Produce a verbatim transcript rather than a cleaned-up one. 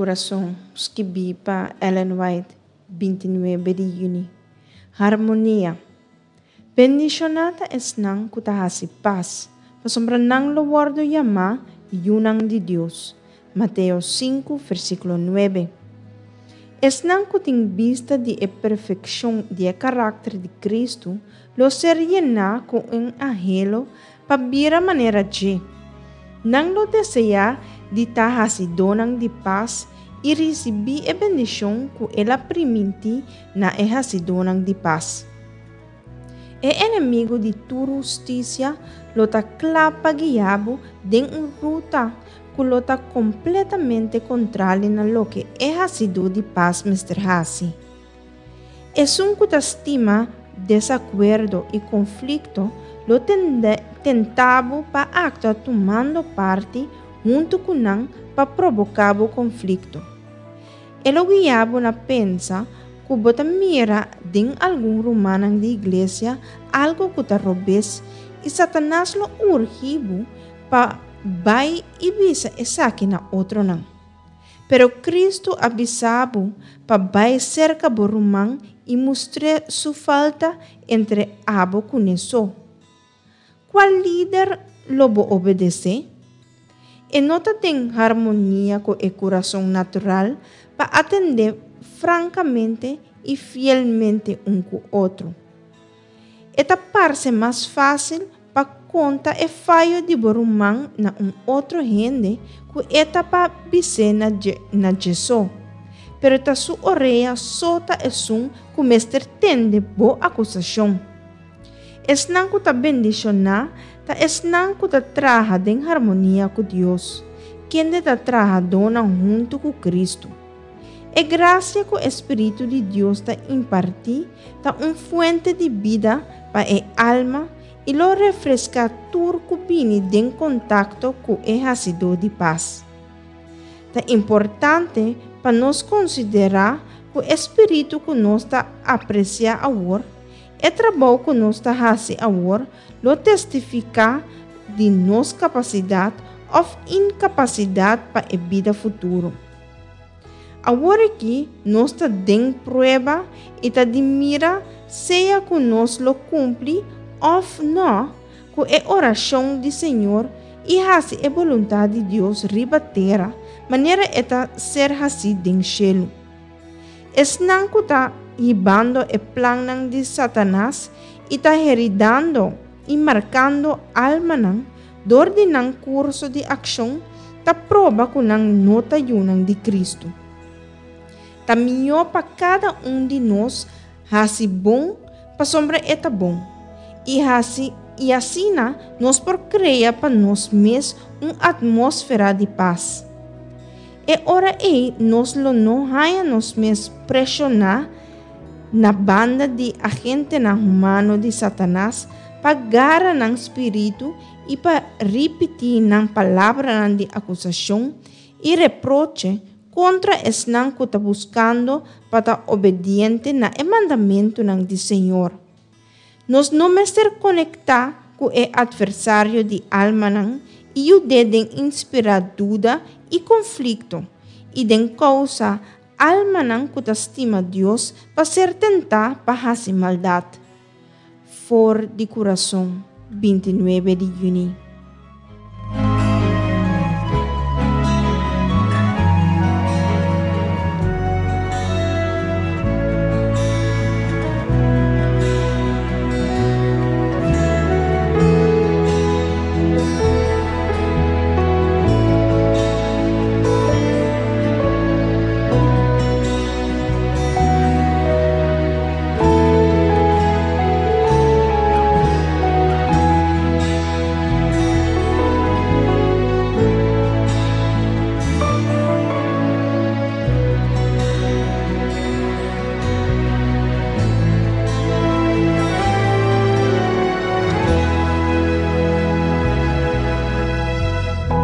Kurason, skibí pa Ellen White, binti nuebe di yüni. Harmonia. Bendishoná ta esnan ku ta hasi pas, pasobra nan lo wòrdu yamá yunan di Dios. Mateo sinku, versíkulo nuebe. Esnan ku tin bista di e perfekshon di e karakter di Kristu lo ser yená ku un anhelo pa bira manera dje. Nan lo deseá di ta hasidónan di pas i risibí e bendishon ku el a primintí na e hasidónan di pas. E enemigu di tur hustisia lo ta kla pa guia bo den un ruta ku lo ta kompletamente kontrali na loke e hasidó di pas mester hasi. Esun ku ta stima desakuerdo i konflikto lo tende, tenta bo pa aktua tumando parti huntu ku nan pa provoká bo konflikto. E lo guia bo na pensa ku bo ta mira den algun rumannan di iglesia algu ku ta robes i Satanas lo urgi bo pa bai i bisa esaki na otronan. Pero Kristu a bisa bo pa bai serka bo ruman i mustr'é su falta entre abo kuné so. Kua lider lo bo obedesé? E no ta den harmonia ku e kurason natural pa atendé frankamente i fielmente un ku otro. E ta parse mas fásil pa konta e fayo di bo ruman na un otro hende ku e ta pa bis'é na dje, na dje so. Pero ta su orea so ta esun ku mester tende bo akusashon. Esnan ku ta bendishoná ta esnan ku ta traha den harmonia ku Dios, kende ta trahadónan huntu ku Kristu. E grasia ku e Spiritu di Dios ta impartí ta un fuente di bida pa e alma i lo refreská tur ku bini den kontakto ku e hasidó di pas. Ta importante pa nos konsiderá ku e spiritu ku nos ta apresiá awor, e trabou ku nos ta hasi awor, lo testifiká di nos kapasidat òf inkapasidat pa e bida futuro. Awor akí nos ta den prueba i ta di mira sea ku nos lo kumpli òf nò ku e orashon di Señor i hasi e boluntat di Dios riba tera manera e ta ser hasí den shelu. Esnan ku ta hibando e plannan di Satanas i ta heridando i markando almanan dor di nan kurso di akshon ta proba ku nan no ta yunan di Kristu. Ta mihó pa kada un di nos hasi bon pasobra e ta bon, i hasi i asina nos por krea pa nos mes un atmósfera di pas. E ora ei nos lo no haña nos mes preshoná na banda di agentenan humano di Satanas pa gara nan spiritu i pa ripití nan palabranan di akusashon i reproche kontra esnan ku ta buskando pa ta obediente na e mandamentunan di Señor. Nos no mester konektá ku e atversario di almanan i yud'é den inspirá duda i konflikto i den kousa almanan ku ta stima Dios pa ser tentá pa hasi maldat. For di Kurason, binti nuebe di yüni.